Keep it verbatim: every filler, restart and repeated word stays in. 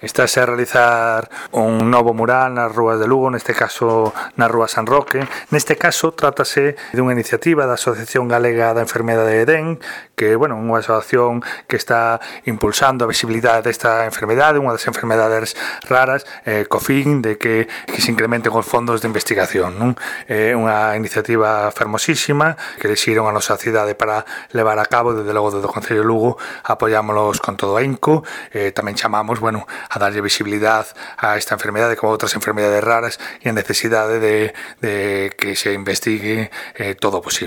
Estáse a realizar un novo mural nas rúas de Lugo, neste caso na rúa San Roque. Neste caso trátase dunha iniciativa da Asociación Galega da Enfermedade de Edén, que, bueno, unha asociación que está impulsando a visibilidade desta enfermedade, unha das enfermedades raras, eh, co fin de que, que se incrementen os fondos de investigación, non? É unha iniciativa fermosísima que elixiron a nosa cidade para levar a cabo. Desde logo, desde o Concello de Lugo apoiámolos con todo ahínco. Eh, tamén chamamos, bueno, a darlle visibilidade a esta enfermedade como outras enfermedades raras e a necesidade de, de que se investigue eh, todo o posible.